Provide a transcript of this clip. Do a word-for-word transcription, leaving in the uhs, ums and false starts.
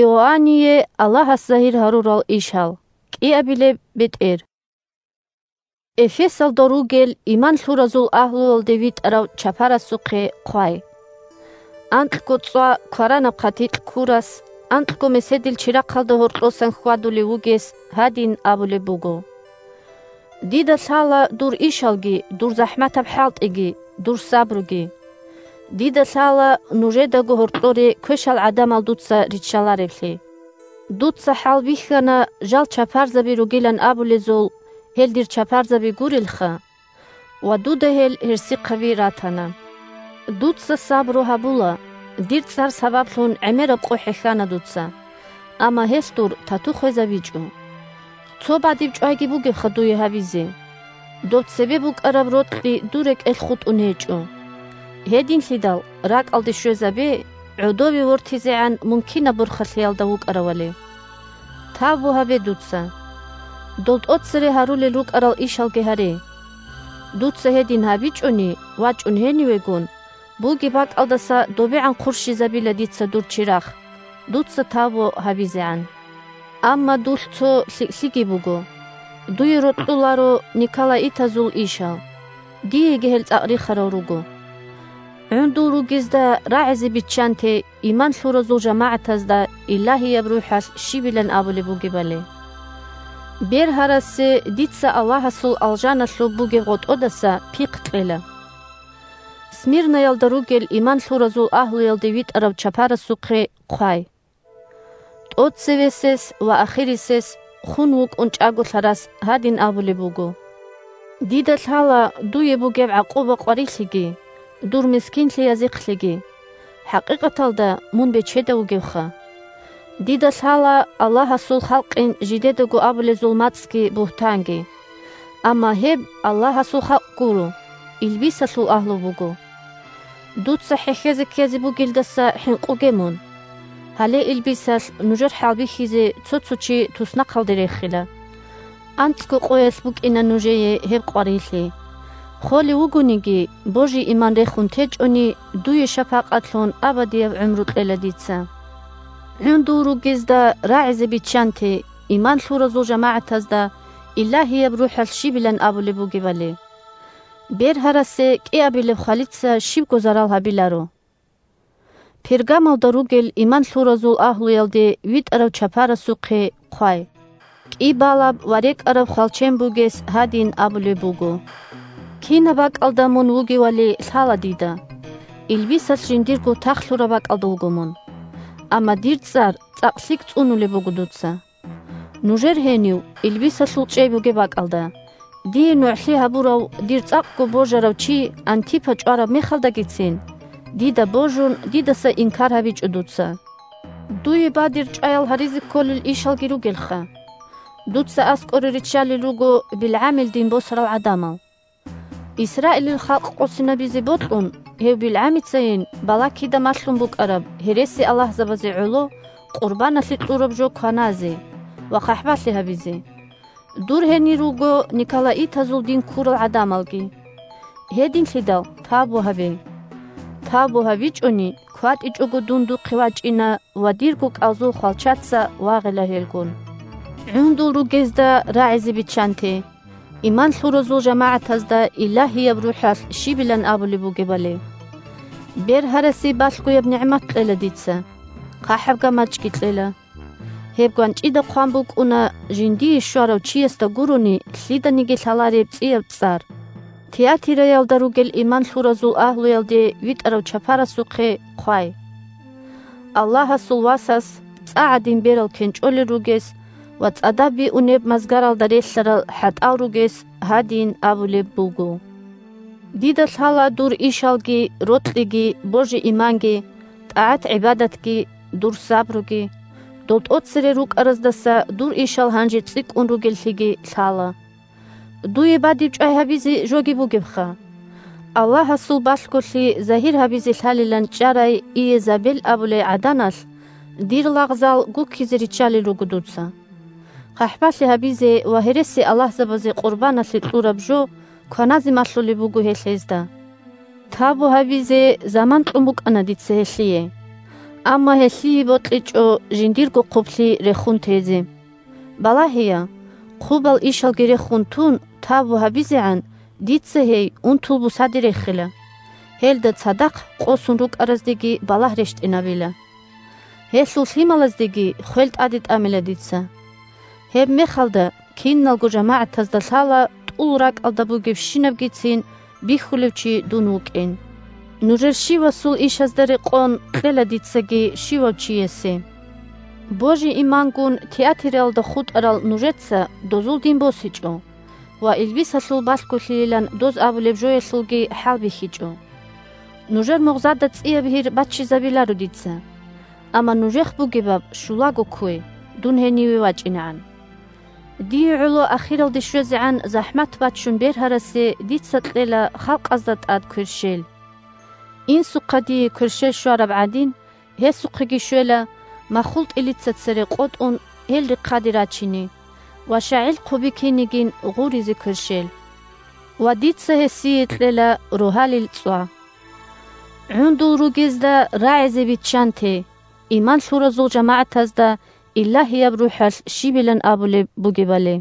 Иоанние Аллагьас загьир гьарурал ишал. КӀиабилеб бетӀер. Эфесалда ругел иман лъуразул агьлуялде витӀарав чапарасухъе хъвай. Анкьго цӀва кваранаб хъатикь ккурас, анкьго меседил чирахъалда гьоркьосан хьвадулев вугес гьадин абулеб буго: «Дида лъала дур ишалги, дур захӀматаб хӀалтӀиги, дур сабруги. Дида лъала нужедаго гьоркьоре квешал гӀадамал дуца риччалареблъи. Дуца хӀалбихьана жал чапарзаби ругилан абулезул, гьел дир чапарзаби гурелха, ва дуда гьел гьерсихъаби ратана. Дуца сабру гьабула, дир цӀар сабаблъун гӀемераб къо хӀехьана дуца, амма гьелъ дур тату хвезабичӀо. Цо бадиб чӀвайги бугебха дуе гьабизе. Доб цебе букӀараб рокьи дур рекӀелъ хутӀун гьечӀо. Гьединлъидал ракӀалде щвезабе, гӀодове вортизегӀан мун кинаб борхалъиялда вукӀаравали. Тавбу гьабе дуца. Дол тӀоцере гьарулел рукӀарал ишалги гьаре. Дуца гьедин гьабичӀони, вачӀун гьенивегун, бугеб бакӀалдаса добегӀан хъурщизабила дица дур чирахъ, дуца тавбу гьабизегӀан. Амма дулъ цо лъикӀлъиги буго. Дуе рокьуларо николаитазул ишал. Диеги гьел цӀакъ рихарал руго. ГӀундул ругезда рагӀизе биччанте иман лъуразул жамагӀатазда Илагьияб РухӀалъ щибилан абулеб бугебали. Бергьарасе дица Аллагьасул алжаналъуб бугеб гъотӀодаса пихъ кьела. Смирнаялда ругел иман лъуразул агьлуялде витӀарав чапарасухъе хъвай. ТӀоцевесес ва ахирисес хун вукӀун чӀаголъарас гьадин абулеб буго: «Дида лъала дуе бугеб гӀакъуба-къварилъиги, дур мискинлъиязихълъиги. ХӀакъикъаталда мун бечедав вугевха. Дида лъала Аллагьасул халкъин жидедаго абулезул мацӀги бугьтанги. Амма гьеб Аллагьасул халкъ гуро, илбисалъул агьлу буго. Дуца хӀехьезе ккезе бугелдаса хӀинкъуге мун. Гьале илбисалъ нужер хӀалбихьизе цо-цо чи туснахъалде рехила. АнцӀго къоялъ букӀина нужее гьеб къварилъи. Холев вугониги, божи-иман рехун течӀони, дуе шапакъатлъун абадияб гӀумру кьела дица». ГӀундул ругезда рагӀизе биччанте иман лъуразул жамагӀатазда Илагьияб РухӀалъ щибилан абулеб бугебали. Бергьарасе кӀиабилеб хвалица щибго зарал гьабиларо. Пергамалда ругел иман лъуразул агьлуялде витӀарав чапарасухъе хъвай. КӀибалаб ва рекӀараб хвалчен бугес гьадин абулеб буго: «Кинаб бакӀалда мун вугевали лъала дида. Илбисалъ жиндирго тахлъураб бакӀалда вуго мун. Амма дир цӀар цӀакъ лъикӀ цӀунулеб буго дуца. Нужер гьенив илбисалъул чӀей бугеб бакӀалда, дие нугӀлъи гьабурав дир цӀакъго божарав чи Антипа чӀвараб мехалдагицин, дида божун, дидаса инкар гьабичӀо дуца. Дуе бадиб чӀваял гьаризе кколел ишалги ругелха. Дуца аскӀоре риччалел руго БилгӀамил дин босарал гӀадамал. Исраилил халкъ къосинабизе бокьун, гьев БилгӀамицайин Балакида малъун букӀараб гьереси-аллагьзабазе гӀоло къурбаналъе кьураб жо кваназе ва хъахӀбалъи гьабизе. Дур гьенир руго николаитазул дин ккурал гӀадамалги. Гьединлъидал тавбу гьабе. Тавбу гьабичӀони, кватӀичӀого дун духъе вачӀина ва дирго кӀалзул хвалчаца вагъила гьелгун». ГӀундул ругезда рагӀизе биччанте, иман лъуразул жамагӀатазда Илагьияб РухӀалъ щибилан абулеб бугебали. Бергьарасе балъгояб нигӀмат кьела дица, хъахӀаб гамачӀги кьела. Гьеб гванчӀида хъван букӀуна жиндие щварав чиясда гурони лъиданиги лъалареб цӀияб цӀар. Тиатираялда ругел иман лъуразул агьлуялде витӀарав чапарасухъе хъвай. Аллагьасул васас цӀа гӀадин берал кенчӀолел ругес ва цӀадаб биунеб мазгаралда релълъарал хӀатӀал ругес гьадин абулеб буго: «Дида лъала дур ишалги, рокьиги, божи-иманги, тӀагӀат-гӀибадатги, дур сабруги. Дол тӀоцере рукӀараздаса дур ишал гьанже цӀикӀкӀун ругеллъиги лъала. Дуе бадиб чӀвай гьабизе жоги бугебха. Аллагьасул балъголъи загьир гьабизе лъалилан чӀарай Иезабел абулей гӀаданалъ дир лагъзал гуккизе риччалел руго дуца. ХъахӀбалъи гьабизе ва гьересиаллагьзабазе къурбаналъе кьураб жо кваназе малъулеб буго гьелъ гьезда. Тавбу гьабизе заман кьун букӀана дица гьелъие. Амма гьелъие бокьичӀо жиндирго хъублъи рехун тезе. Балагьея, хъубал ишалги рехун тун, тавбу гьабизегӀан, дица гьей унтул бусаде рехила. Гьелда цадахъ къосун рукӀараздеги балагь рещтӀинабила. Гьелъул лъималаздеги хвел тӀаде тӀамила дица. Гьеб мехалда киналго жамагӀатазда лъала тӀул ракӀалда бугебщинабгицин бихьулев чи дун вукӀин. Нужер щивасул ишазда рекъон кьела дицаги щивав чиясе. Божи-имангун театералда хутӀарал нужеца дозул дин босичӀо ва илбисалъул балъголъийилан доз абулеб жоялъулги хӀалбихьичӀо. Нужер мугъзада цӀияб гьир баччизабиларо дица. Амма нужехъ бугебаб щулаго ккве, дун гьениве вачӀинегӀан. Дие гӀоло ахиралде щвезегӀан захӀмат баччун бергьарасе дица кьела халкъазда тӀад кверщел. Инсухъа дие кверщел щвараб гӀадин, гьесухъеги щвела махул тӀилица цере къотӀун гьел рехъаде рачине ва щагӀил хъуби кинигин гъуризе кверщел. Ва дица гьесие кьела рогьалил цӀва. ГӀундул ругезда рагӀизе биччанте, иман лъуразул жамагӀатазда Илагьияб РухӀалъ щибилан абулеб бугебали.